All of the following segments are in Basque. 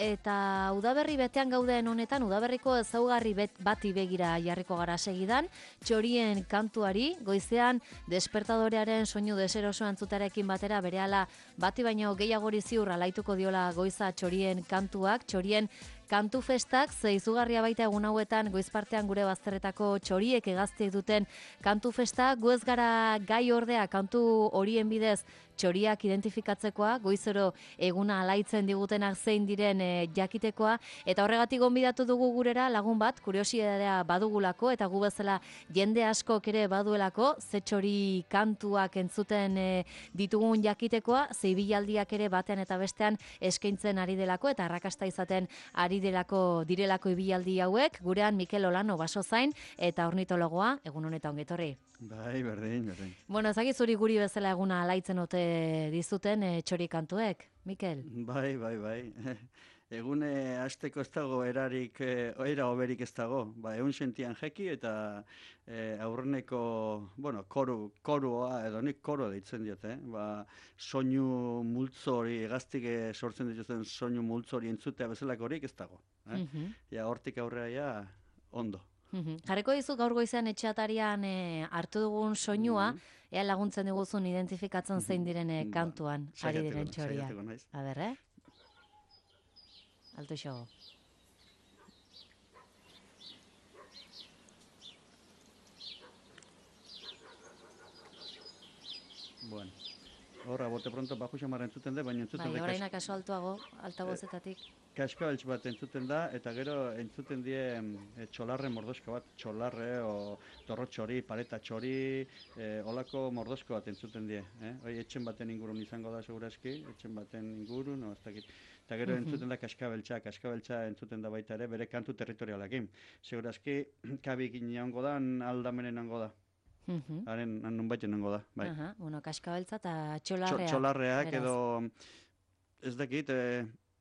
eta udaberri betean gauden honetan, udaberriko ezaugarri bati begira jarriko gara segidan, txorien kantuari, goizean despertadorearen soinu deseroso entzutarekin batera berehala bati baino gehiagori ziur alaituko diola goiza txorien kantuak, txorien kantu festak, ze izugarria baita egun hauetan goizpartean gure bazterretako txoriek egaztiek duten kantu festa, gu ez gara gai ordea kantu horien bidez txoriak identifikatzekoa, goizero eguna alaitzen digutenak zein diren jakitekoa, eta horregatik gonbidatu dugu gurera lagun bat, kuriositatea badugulako, eta gu bezala jende askok ere baduelako, ze txori kantuak entzuten ditugun jakitekoa, ze ibilaldiak ere batean eta bestean eskaintzen ari delako, eta arrakasta izaten ari direlako ibilaldi hauek, gurean Mikel Olano basozain, eta ornitologoa, egun honetan ongetorri. Bai, berdin. Bueno, ezagik zuri guri bezala eguna alaitzen ote dizuten txori kantuek, Mikel? Bai. Egune hasteko ez dago erarik, era oberik ez dago. Ba, egun sentian jeki eta aurreneko, bueno, koroa, edo nik koro deitzen diot, Ba, soinu multzo hori, egaztik sortzen dituzten soinu multzo hori entzutea bezalako horik ez dago. Ja, hortik aurrera ja, ondo. Jarriko dizu gaur goizean etxeatarian hartu dugun soinua, ea laguntzen diguzun identifikatzen zein diren kantuan ari diren txoria. A ber, Alto xogo. Bueno, horra, bote pronto bajo xamara entzuten da, baina entzuten da... Bai, orain akaso altuago, altavozetatik. Kaskabeltz bat entzuten da, eta gero entzuten die txolarre mordosko bat, txolarre, o torro txori, paleta txori, olako mordosko bat entzuten die. Hoi, etxen baten ingurun izango da, segurazki, etxen baten ingurun, no, ez dakit. Eta gero entzuten da kaskabeltza entzuten da baita ere, bere kantu territorialakin. Segurazki, kabik inango da, aldamenen nango da. Haren nun baiten nango da, bai. Bueno, kaskabeltza eta txolarreak. Txolarreak edo, ez dakit,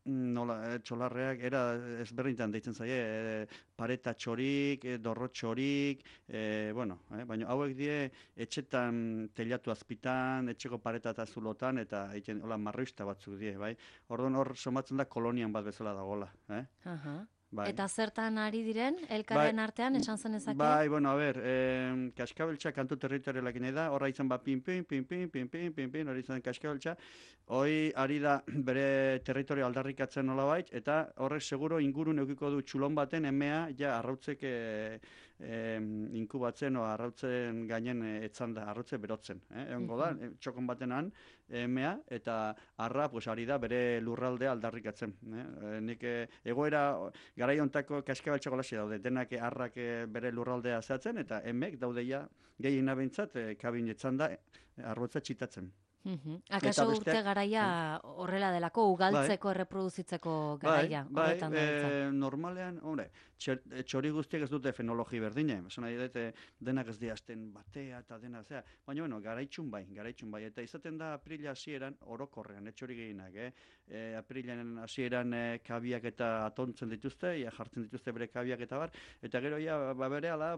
txolarreak era ezberdintan deitzen zaie, pareta txorik, dorro txorik, baina hauek die etxetan telatu azpitan, etxeko pareta eta zulotan, eta hola marroista batzuk die, bai? Orduan hor somatzen da kolonian bat bezala dagola, Bai. Eta zertan ari diren, elkarren artean, esan zen ezake? Bai, bueno, a ber, kaskabeltza kantu territorialak nahi da, horra izan pin, hori izan kaskabeltza, hoi ari da bere territorio aldarrikatzen nolabait, eta horrek seguro ingurun eukiko du txulon baten emea, ja, arrautzek inkubatzen, o arrautzen gainen etzan da, arrautze berotzen. Egongo da, txokon batenan emea, eta arra, pues, ari da bere lurraldea aldarrikatzen. Nik egoera... Garai hontako kaskabeltza golaxe daude, denak harrak bere lurraldea zehatzen, eta emek daudeia gehiena behintzat kabin etzan da arrotza txitatzen. Akaso urte garaia horrela delako, ugaltzeko, erreproduzitzeko garaia? Bai, normalean, txori guztiak ez dute fenologi berdine, zona denak ez diazten batea eta dena zea, baina garaitxun bai, eta izaten da aprila hasieran orokorrean, txori gehienak, aprilan hasieran kabiak eta atontzen dituzte, jartzen dituzte bere kabiak eta bar, eta gero berehala,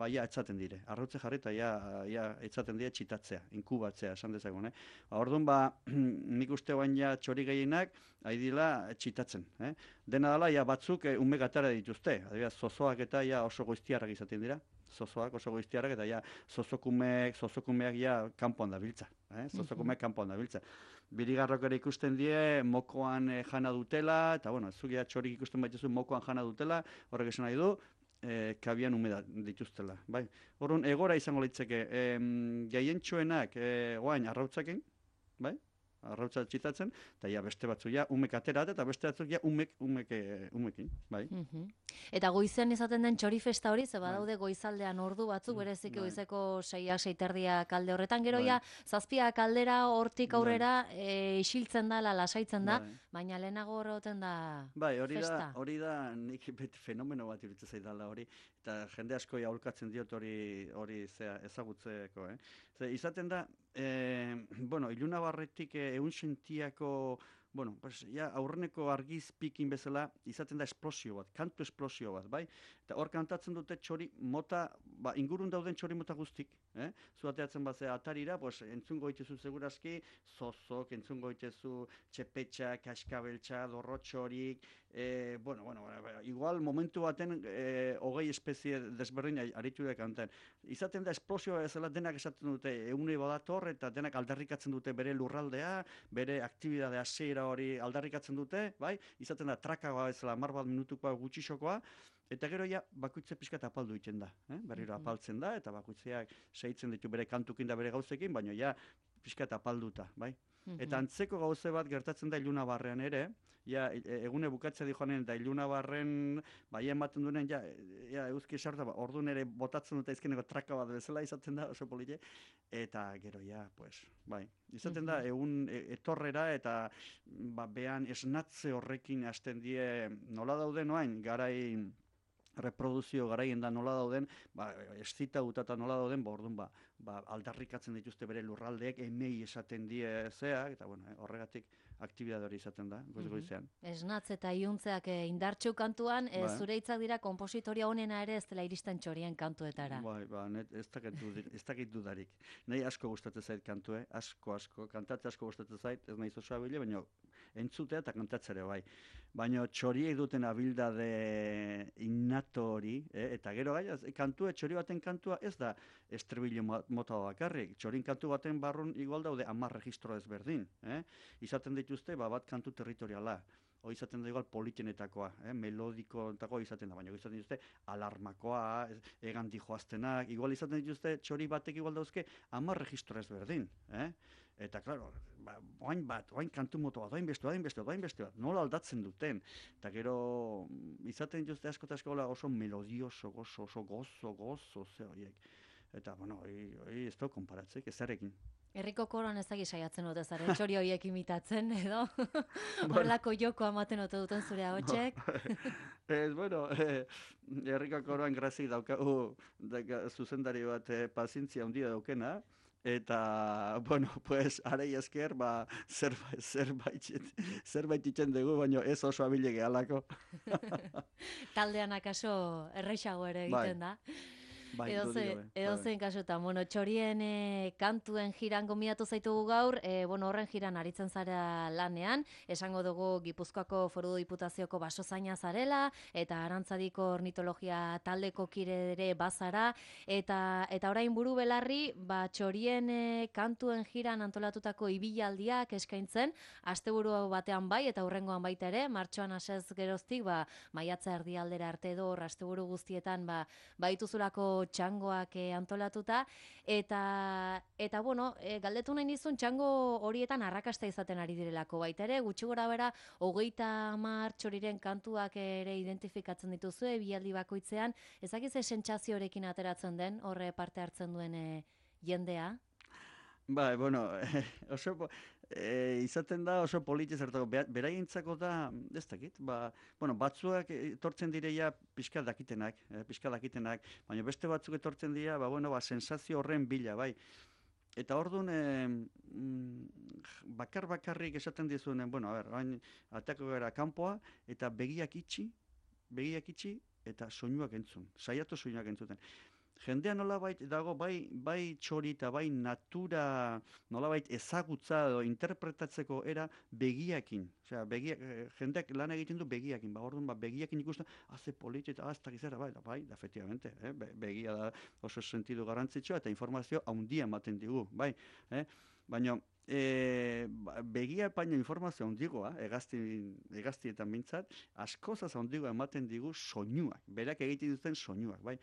ja etzaten dire, arrotze jarri eta ja etzaten dire txitatzea, inkubatzea, esan dezagun, Orduan, nik uste baina txori gehienak, haidila txitatzen. Dena dela, batzuk ume gatara dituzte. Adibidez, zozoak eta oso goiztiarrak izaten dira. Zozoak oso goiztiarrak eta zozokumeak kanpoan da biltza. Zozokumeak kanpoan da biltza. Birigarrok ere ikusten die, mokoan jana dutela, eta zugia txorik ikusten baituzu mokoan jana dutela, horrek esan nahi du, kabian umeda dituztela. Horren, egora izango litzeke, gehientxoenak oain arrautzaken, arrautza txitatzen, eta beste batzu umek aterat, eta beste batzuk umekin. Eta goizean izaten den txori festa hori, ze badaude goizaldean ordu batzuk, berezik goizeko 6-6:30 alde horretan, gero zazpiak aldera hortik aurrera isiltzen da, lasaitzen da, baina lehenago horretan da festa. Hori da, nik fenomeno bat iruditzen zaidala hori, eta jende asko aholkatzen diot hori ezagutzeko. Izaten da, iluna barretik egun sentiako, aurreneko argizpikin bezala, izaten da esplosio bat, kantu esplosio bat, bai? Eta hor kantatzen dute txori mota, ingurun dauden txori mota guztik, Zu ateatzen bat atarira, pues, entzungo itezu segurazki, zozok, entzungo itezu txepetxa, kaskabeltxa, dorrotxorik, igual momentu baten hogei espezie desberdin aritu da kanten. Izaten da esplosioa bezala denak esaten dute eune badator eta denak aldarrikatzen dute bere lurraldea, bere aktibidade hasiera hori aldarrikatzen dute, bai? Izaten da trakagoa bezala 10 minutukoa gutxixokoa, eta gero ja bakoitze pixka apaldu egiten da, berriro apaltzen da, eta bakoitzeak segitzen ditu bere kantukin da bere gauzekin, baina ja pixka apalduta, bai? Eta antzeko gauze bat gertatzen da Ilunabarrean ere, ja, egune bukatzea di joanen, eta Ilunabarren bai ematen duenen, ja euski esarta, orduan ere botatzen dute izkeneko traka bat bezala izaten da, oso polite, eta gero ja, pues, bai, izaten da, egun etorrera eta behan esnatze horrekin hasten die nola dauden oain, garai reproduzio garaien da nola dauden, eszita gutata nola dauden, orduan aldarrikatzen dituzte bere lurraldeek, emei esaten die zeak, eta horregatik aktibidade hori izaten da, goiz-goizean. Esnatz eta iuntzeak indartxu kantuan, zure hitzak dira kompositoria honena ere ez dela iristen txorien kantuetara. Ez dakit dudarik. Nahi asko gustatzen zait kantue, asko, kantatze asko gustatzen zait, ez nahi zozoa bile, baina entzutea eta kantatzere bai. Baina txoriek duten abildade innato hori, eta gero gai, txori baten kantua ez da estribillo mota bakarrik. Txorin kantu baten barrun igual daude 10 registro ezberdin. Izaten dituzte bat kantu territoriala. Hoi izaten da igual politenetakoa, melodikoetakoa izaten da, baina izaten dituzte alarmakoa, egan dijoaztenak, igual izaten dituzte txori batek igual dauzke 10 registro ezberdin. Eta, klaro, oain kantu moto bat, oain beste bat, nola aldatzen duten. Eta gero, izaten dituzte asko eta asko oso melodioso, oso gozo, ze horiek. Eta, hori ez da konparatzeik, ezarekin. Herriko koroan ez daki saiatzen dute zaren txori horiek imitatzen, edo? Horrelako joko amaten ote duten zure ahotsek? Herriko koroan grazik daukagu zuzendari bat pazientzia handia daukena, eta, arei esker, zerbait itzen dugu, baina ez oso abile gehalako. Taldean akaso erreixago ere egiten da. Edo zein kasutan, txorien kantuen jiran gomiatu zaitugu gaur, horren jiran aritzen zara lanean, esango dugu Gipuzkoako Foru Diputazioko basozaina zarela, eta Arantzadiko ornitologia taldeko kide ere bazara, eta orain buru belarri, txorien kantuen jiran antolatutako ibilaldiak eskaintzen, asteburu batean bai, eta hurrengoan baita ere, martxoan hasez geroztik, maiatza erdialdera arte edo, asteburu guztietan, baituzulako txangoak antolatuta, eta galdetu nahi nizun txango horietan arrakasta izaten ari direlako baita ere, gutxi gora bera, 30 txoriren kantuak ere identifikatzen dituzue, bialdi bakoitzean, ezakiz sentsaziorekin ateratzen den, horre parte hartzen duen jendea? Izaten da oso politez hartako, beraientzako da, ez dakit, batzuak etortzen direia pixka dakitenak, baina beste batzuk etortzen dira, sensazio horren bila, bai. Eta orduan, bakarrik esaten dizuenen, atako gara kanpoa, eta begiak itxi, eta soinuak entzun, saiatu soinuak entzuten. Jendea nolabait dago bai txori eta bai natura nolabait ezagutza edo interpretatzeko era begiakin. Osea, jendeak lan egiten du begiakin. Orduan begiakin ikusten, ze polit eta ez dakizera, da, efectivamente. Begia da oso sentidu garrantzitsua eta informazio handia ematen digu, bai. Baina begia baino informazio handigoa, hegaztietan bintzat, askozaz handigoa ematen digu soinuak, berak egiten duten soinuak, bai.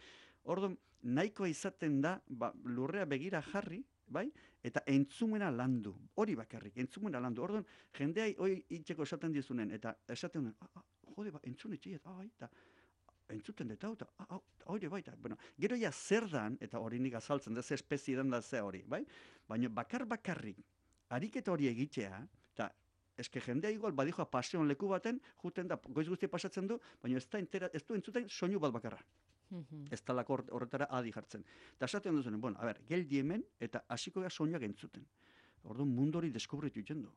Orduan, nahikoa izaten da, lurrea begira jarri, bai, eta entzumena landu, hori bakarrik, entzumena landu. Orduan, jendea hori itxeko esaten dizunen, eta esaten duen, entzun etxiet, eta entzuten dut, eta hori baita. Gero ja zer dan, eta hori nik azaltzen da, ze espezie den da ze hori, bai? Baina bakarrik, ariketa hori egitea, eta eske jendea igual badijoa paseon leku baten, juten da, goiz guztia pasatzen du, baina ez du entzuten soinu bat bakarra. Ez talako horretara adi jartzen. Eta esaten duzunen, geldi hemen eta hasiko gara soinuak entzuten. Orduan mundu hori deskubritu egiten du.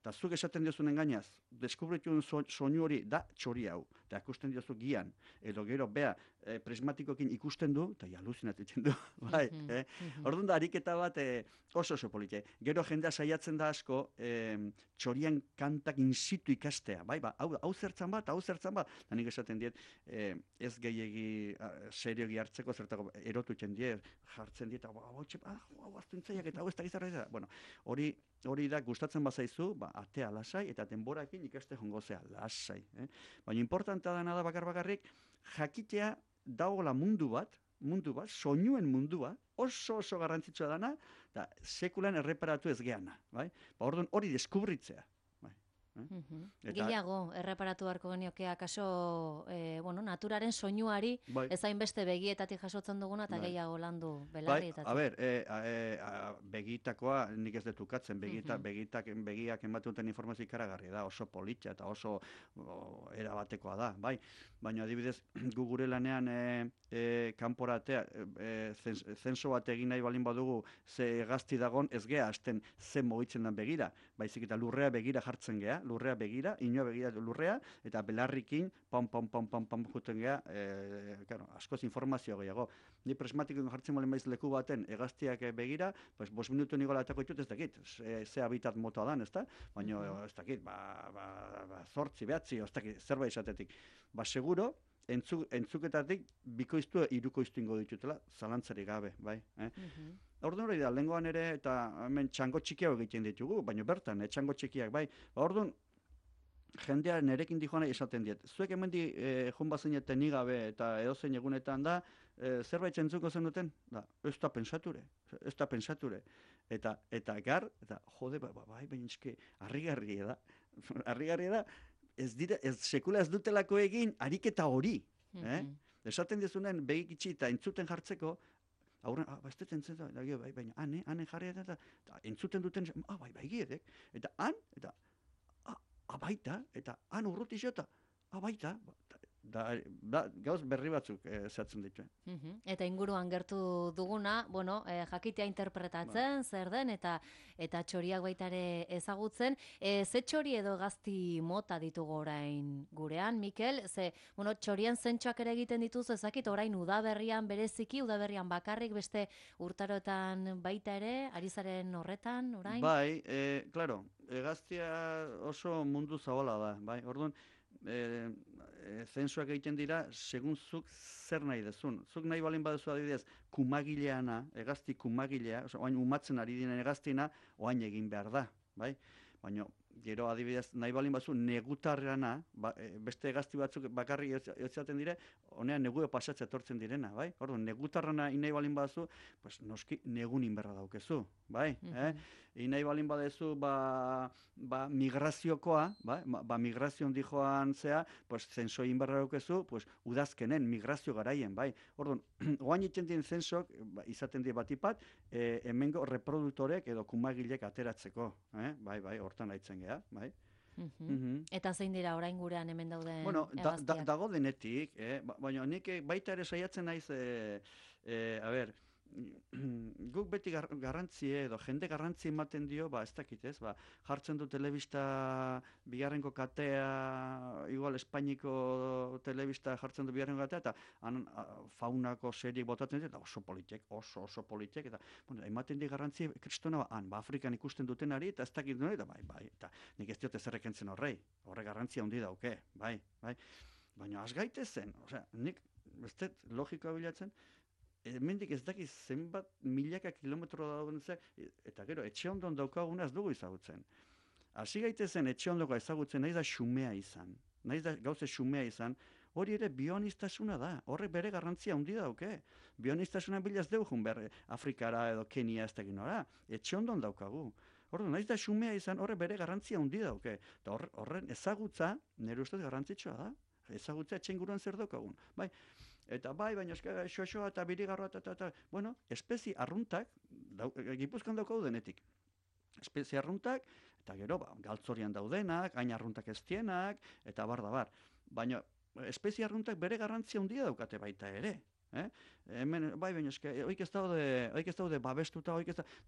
Eta zuk esaten duzunen gainaz, deskubritu soinu hori da txori hau. eta ikusten diozu gian, edo gero, bea, prismatikokin ikusten du, eta aluzinatitzen du, bai, Orduan da, ariketa bat oso politia. Gero jendea saiatzen da asko, txorian kantak in situ ikastea, bai, hau zertzan bat, da nik esaten diet, ez gehiegi seriogi hartzeko, zertako erotutzen diet, jartzen diet, hau aztuntzaiak eta hau ez da gizarra, bueno, hori da, gustatzen bazaizu, atea lasai, eta denborakin ikaste jongo zea, lasai. Baina importantea dena da bakarrik, jakitea dagoela mundu bat, soinuen mundua, oso garrantzitsua dana, eta sekulan erreparatu ez geana, bai? Orduan hori deskubritzea. Gehiago, erreparatu beharko genioke akaso, naturaren soinuari, ezain beste begietatik jasotzen duguna, eta gehiago landu belarrietatik. A ber, begitakoa nik ez detukatzen, begiak ematen duten informazio ikaragarria da, oso politxa eta oso erabatekoa da, bai? Baina adibidez, gu gure lanean kanporatea, zenso bat egin nahi balin badugu, ze gazti dagon ez gea, azten ze mugitzen den begira, baizik eta lurrea begira jartzen gea, lurrea begira, inoa begira lurrea, eta belarrikin, pam, juten gea, askoz informazio gehiago. Ni prismatikoen jartzen balen baiz leku baten, egaztiak begira, 5 minutu nigola etako ditut ez dakit, ze habitat motoa dan, ez da? Baina ez dakit, 8, 9, ez dakit, zerbait esatetik. Seguro, entzuketatik bikoiztu hirukoiztu ingo ditutela, zalantzarik gabe, bai? Orduan hori da, lehengoan ere, eta hemen txango txikiago egiten ditugu, baina bertan, txango txikiak, bai? Orduan, jendea nerekin dijoan esaten diet. Zuek hemen joan bazineten nigabe eta edozein egunetan da, zerbait entzuko zen duten? Ez da pensature. Eta gar, eta jode, bai, baina eske, harrigarria da, sekula ez dutelako egin ariketa hori. Esaten dizunen begik itxi eta entzuten jartzeko, aurren, ez dut entzuten, baina ane jarri eta entzuten duten, bai giedek, eta eta baita, eta han urruti jota, baita, gauz berri batzuk zehatzen dituen. Eta inguruan gertu duguna, jakitea interpretatzen, zer den, eta txoriak baita ere ezagutzen. Ze txori edo gazti mota ditugu orain gurean, Mikel? Ze, txorian zentxoak ere egiten dituz, ezakit orain udaberrian bereziki, udaberrian bakarrik, beste urtaroetan baita ere, ari zaren horretan, orain? Bai, klaro, gaztia oso mundu zabala da, bai, orduan, zensuak egiten dira, segun zuk zer nahi dezun. Zuk nahi balin baduzu adibidez, kumagileana, egazti kumagilea, oain umatzen ari dinen egaztina, oain egin behar da, bai? Baina, gero adibidez, nahi balin baduzu negutarrana, beste egazti batzuk bakarri ezaten dire, honean negueo pasatzea etortzen direna, bai? Orduan, negutarrana nahi balin baduzu, pues noski negun inberra daukezu, bai? Nahi balin badezu, migraziokoa, migrazion dijoan zea, pues zenso inberra daukezu, pues udazkenen, migrazio garaien, bai? Orduan, oain iten dien zensok, izaten die batipat, hemengo reproduktorek edo kumagilek ateratzeko, bai, hortan haitzen geha, bai? Eta zein dira orain gurean hemen dauden egaztiak? Dago denetik, baina nik baita ere saiatzen naiz, guk beti garrantzia edo jende garrantzi ematen dio, ez dakit ez, jartzen du telebista bigarrenko katea, igual Espainiko telebista jartzen du bigarrenko katea, eta faunako seriek botatzen dut, eta oso politek, eta ematen di garrantzia, kristona, Afrikan ikusten dutenari, eta ez dakit duen, eta bai, eta nik ez diote zerrekentzen horre garrantzia handi dauke, bai, baina az gaitezen, nik, ez dut logikoa bilatzen, hemendik ez dakiz zenbat milaka kilometro dagoen eta gero, etxe ondon daukaguna ez dugu ezagutzen. Hasi gaitezen etxe ondoko ezagutzen, nahiz da xumea izan, nahiz da gauze xumea izan, hori ere bionistasuna da, horrek bere garrantzia handi dauke. Bionistasuna bilaz dugun Afrikara edo Kenia ez dakin nora, etxe ondon daukagu. Orduan, nahiz da xumea izan, horrek bere garrantzia handi dauke. Eta horren ezagutza, nire ustez garrantzitsua da, ezagutza etxe inguruan zer daukagun. Bai, eta baina xoxoa eta birigarroa eta, espezie arruntak, Gipuzkoan daukau denetik. Espezie arruntak, eta gero, galtzorian daudenak, gain arruntak eztienak, eta bar. Baina, espezie arruntak bere garrantzia handia daukate baita ere. Hemen, baina oik ez daude babestuta,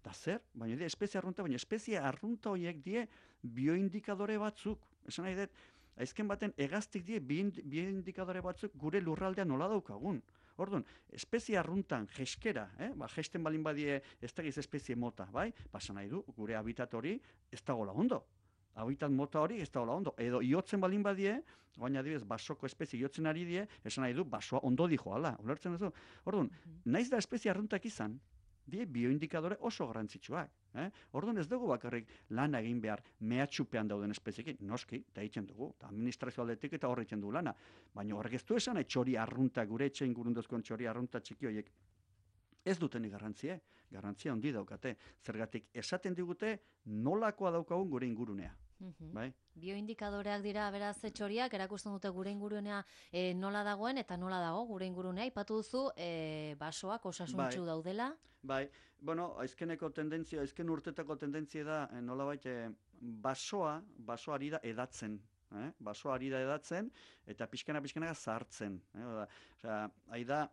da zer, baina espezie arrunta horiek die bioindikadore batzuk. Esan nahi dut, Azken baten hegaztik die bi indikadore batzuk gure lurraldea nola daukagun. Orduan, espezie arruntan jeskera, jesten balin badie ez dagiz espezie mota, bai? Basan nahi du, gure habitat hori ez dagoela ondo. Habitat mota hori ez dagoela ondo. Edo iotzen balin badie, baina adibidez, basoko espezie iotzen ari die, esan nahi du, basoa ondo dijoala. Ulertzen duzu? Orduan, naiz da espezie arruntak izan, die bioindikadore oso garrantzitsuak. Orduan ez dugu bakarrik lan egin behar mehatxupean dauden espeziekin, noski, eta egiten dugu, eta administrazio aldetik eta horretzen du lana. Baina horrek ez du esan, txori arrunta, gure etxein gurundozkoen txori arrunta txiki horiek, ez dutenik garrantzia handi daukate. Zergatik esaten digute nolakoa daukagun gure ingurunea. Bai? Bioindikadoreak dira beraz txoriak, erakusten dute gure ingurunea nola dagoen eta nola dago gure ingurunea. Aipatu duzu basoak osasuntsu daudela. Bai, bueno, azken urtetako tendentzia da nolabait basoa ari da edatzen. Basoa ari da edatzen eta pixkana zahartzen. Hai da,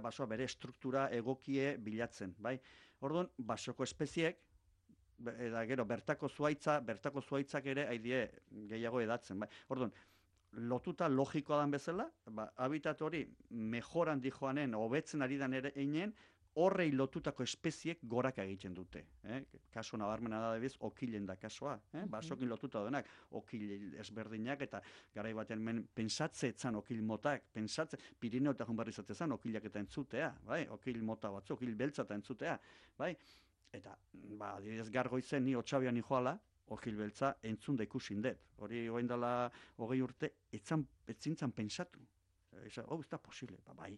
basoa bere struktura egokie bilatzen. Bai? Orduan, basoko espeziek, eta gero bertako zuaitzak ere haidie gehiago edatzen. Bai? Orduan, lotuta logikoa dan bezala, habitat hori mejoran dijoanen, hobetzen ari dan ere einen, horrei lotutako espeziek goraka egiten dute. Kaso nabarmena da debiz, okilen da kasoa. Basokin lotuta denak, okil ezberdinak, eta garai batean pensatze etzan okil motak, Pirineo eta Junbarri zatezen okilak eta entzutea, bai? Okil mota batzu, okil beltza eta entzutea. Bai? Eta, adibidez gargoizen ni otxabian joala, okil beltza entzun da ikusin dut. Hori goain dela 20 urte, etzintzan pensatu. Ez da posible, bai.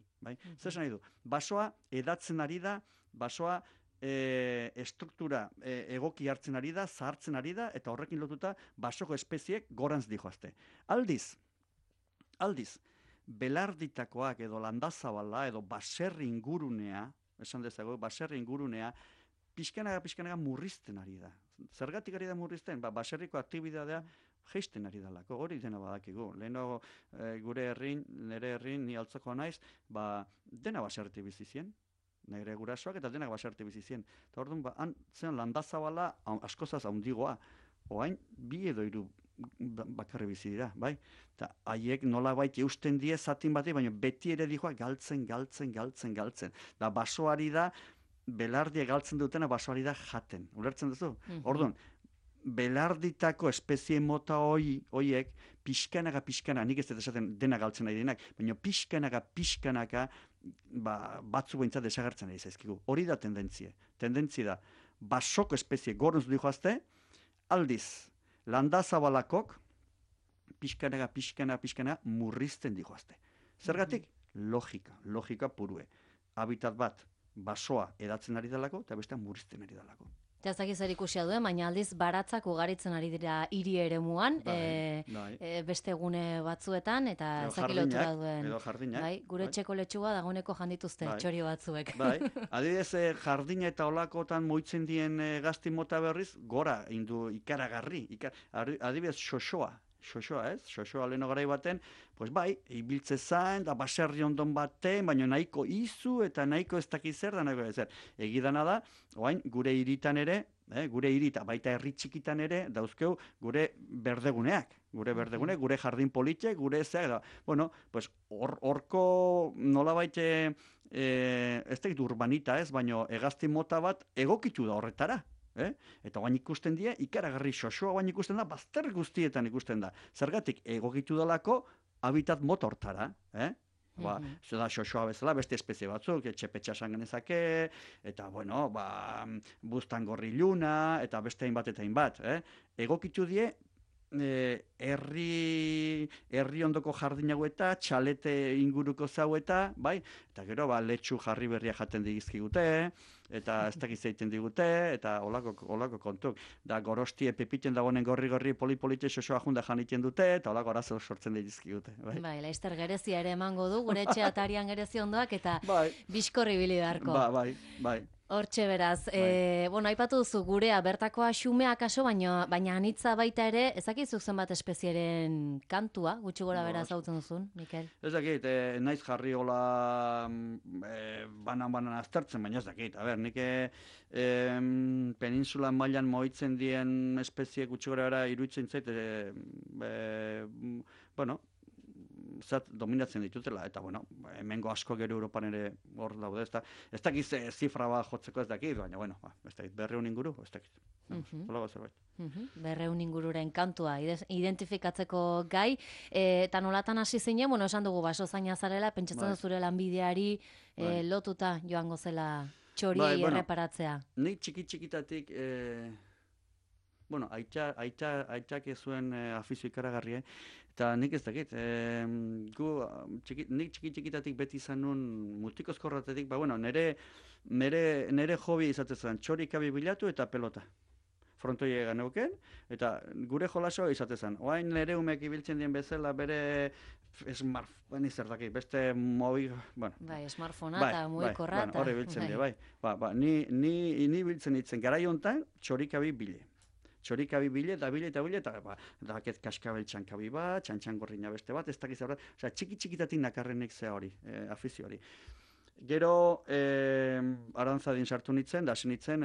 Zer esan nahi du? Basoa edatzen ari da, basoa estruktura egoki hartzen ari da, zahartzen ari da, eta horrekin lotuta basoko espeziek gorantz dijoazte. Aldiz, belarditakoak edo landazabala edo baserri ingurunea, esan dezago, baserri ingurunea, pixkanaga murrizten ari da. Zergatik ari da murrizten? Baserriko aktibidadea geisten ari dalako, hori dena badakigu. Leheno nire herrin, ni altzakoa naiz, dena baserri bizizien. Nire gurasoak eta denak baserri bizizien. Eta orduan, zen landazabala askozaz haundigoa. Oain, 2 edo 3 bakarri bizi dira, bai? Eta haiek nolabait eusten die zatin bati, baina beti ere dijoa galtzen. Da basoari da, belardia galtzen dutena basoari da jaten. Ulertzen duzu? Orduan, belarditako espezie mota hoiek pixkanaka, nik ez dut esaten dena galtzen nahi denak, baina pixkanaka batzu behintzat desagertzen ari zaizkigu. Hori da tendentzia. Tendentzia da, basoko espezie gornuz dijoazte, aldiz, landazabalakok pixkanaka murrizten dijoazte. Zergatik? Logika purue. Habitat bat, basoa edatzen ari dalako, eta bestean murrizten ari dalako. Eta ez dakiz ikusia duen, baina aldiz baratzak ugaritzen ari dira hiri eremuan, beste gune batzuetan, eta ezakilotura duen. Edo jardinak. Gure txeko letxua dagoeneko jandituzte txorio batzuek. Adibidez, jardina eta olakotan moitzen dien gazti mota berriz, gora indu ikaragarri. Adibidez, xoxoa, ez? Xoxoa leheno garai baten, pues ibiltze zain, da baserri ondon baten, baina nahiko izu eta nahiko ez dakiz zer da nahiko ezer. Egidana da, oain, gure hiritan ere, gure hirita, baita herri txikitan ere, dauzkeu gure berdeguneak. Gure jardin politxe, gure zeak. Bueno, pues horko nolabait ez dakit urbanita ez, baina hegazti mota bat egokitu da horretara. Eta guain ikusten die, ikaragarri xoxoa guain ikusten da, bazter guztietan ikusten da. Zergatik, egokitu dalako habitat mota hortara. Da xoxoa bezala, beste espezie batzuk, txepetxa esan genezake, eta, bueno, buztan gorri luna, eta beste hainbat. Egokitu die, herri ondoko jardinago eta txalete inguruko zau eta, bai? Eta gero, letxu jarri berria jaten digizkigute, eta ez dakiz egiten digute, eta olako kontuk. Da gorostie pepiten dagoenen gorri poli-polite xoxoa junda janiten dute, eta olako arazo sortzen digizkigute. Bai, laizter gerezia ere emango du, gure etxe atarian gerezi ondoak, eta bizkorri bili beharko. Bai. Hortxe beraz, bueno, aipatu duzu gurea bertakoa xumea kaso, baina anitza baita ere, ezakizuk zenbat espezieren kantua, gutxi gora bera zautzen duzun, Mikel? Ez dakit, naiz jarri hola banan aztertzen, baina ez dakit. A ber, nik peninsula mailan moitzen dien espezie gutxi gora bera iruditzen zait, bueno, zat dominatzen ditutela, eta bueno, hemengo asko gero Europan ere hor daude, ez dakit zifra bat jotzeko ez dakit, baina bueno, ez dakit, 200 inguru, ez dakit. Holago zerbait. 200 ingururen kantua identifikatzeko gai, eta nolatan hasi zinen, bueno, esan dugu basozaina zarela, pentsatzen dut zure lanbideari lotuta joango zela txoriei erreparatzea. Nik txikitatik, bueno, aitak ez zuen afizio ikaragarri, eta nik ez dakit, nik txikitatik beti izan nun multikozkorratetik, bueno, nire hobi izaten zen, txorikabi bilatu eta pelota. Frontoia egan euken, eta gure jolasoa izaten zen. Oain nire umek ibiltzen dien bezala bere smartphone izerdaki, beste mobi... Bueno, smartphonea eta mugikorra. Horre biltzen dien, bai. Ni biltzen ditzen, garai honetan txorikabi bile. Txorikabi bile, eta daket kaskabel txankabi bat, txantxangorrina beste bat, ez dakiz horret, osea, txikitatik nakarrenek zea hori, afizio hori. Gero, arantzadin sartu nitzen, da hasi nitzen,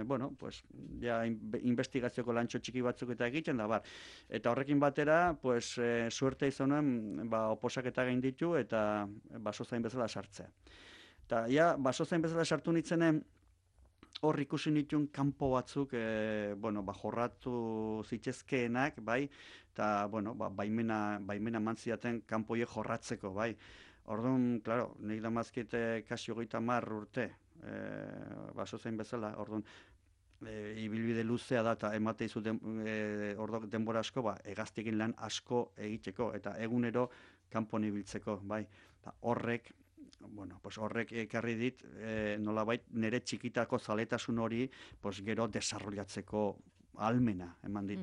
bueno, pues, ja, investigazioko lantxo txiki batzuk eta egiten da, bar. Eta horrekin batera, pues, suerte izan nuen, oposaketa gain ditu, eta basozain bezala sartzea. Eta, ja, basozain bezala sartu nitzenen, hor ikusi nituen kanpo batzuk, bueno, jorratu zitzezkeenak, bai, eta, bueno, baimena mantziaten kanpoie jorratzeko, bai. Orduan, klaro, nik damazkit kasi 30 urte, basozain bezala, orduan, ibilbide luzea da, eta emate izu denbora asko, hegaztiekin lan asko egiteko, eta egunero kanpon ibiltzeko, bai. Horrek, bueno, pues horrek ekarri dit, nolabait nire txikitako zaletasun hori, pues gero desarrollatzeko almena eman dit.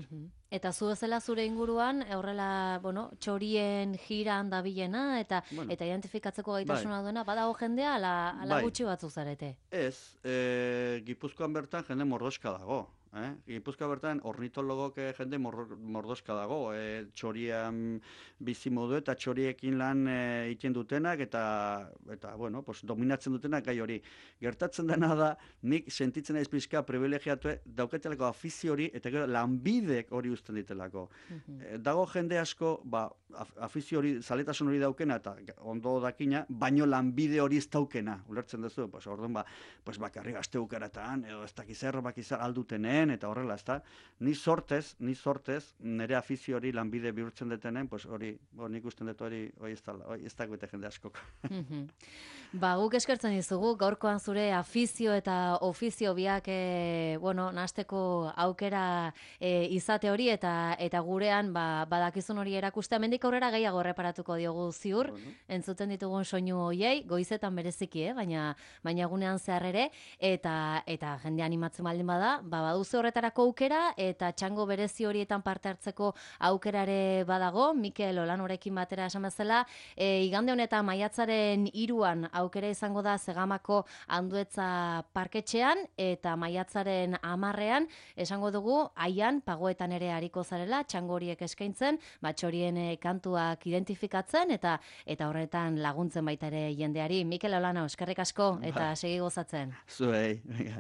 Eta zu bezala zure inguruan, horrela, bueno, txorien jiran dabilena, eta identifikatzeko gaitasuna duena, badago jendea, ala gutxi batzu zarete? Ez, Gipuzkoan bertan jende mordoska dago. Gipuzkoa bertan ornitologok jende mordoska dago, txorian bizi modu eta txoriekin lan egiten dutenak eta bueno, pues dominatzen dutenak gai hori. Gertatzen dena da, nik sentitzen naiz pixka privilegiatu dauketelako afizio hori eta gero lanbidek hori uzten ditelako. Dago jende asko, afizio hori, zaletasun hori daukena eta ondo dakina, baino lanbide hori ez daukena, ulertzen duzu, orduan bakarri gazte ukaratan, edo ez dakizerro bakizar aldutenen, eta horrela, ezta? Ni sortez, nire afizio hori lanbide bihurtzen detenen, hori, nik usten dut hori ez dagoete jende askok. Guk eskertzen dizugu, gaurkoan zure afizio eta ofizio biak, bueno, nahasteko aukera izate hori, eta gurean, badakizun hori erakustea, mendik aurrera gehiago reparatuko diogu ziur, entzuten ditugun soinu hoiei, goizetan bereziki, baina gunean zehar ere, eta jende animatzen baldin bada, baduzu horretarako aukera, eta txango berezi horietan parte hartzeko aukerare badago, Mikel Olanorekin batera esan bezala, igande honetan maiatzaren 3 aukera izango da Zegamako Anduetza parketxean, eta maiatzaren 10 esango dugu, Aian, Pagoetan ere hariko zarela, txango horiek eskaintzen, txorien kantuak identifikatzen, eta horretan laguntzen baita ere jendeari. Mikel Olano, eskerrik asko, eta segi gozatzen. Zuei,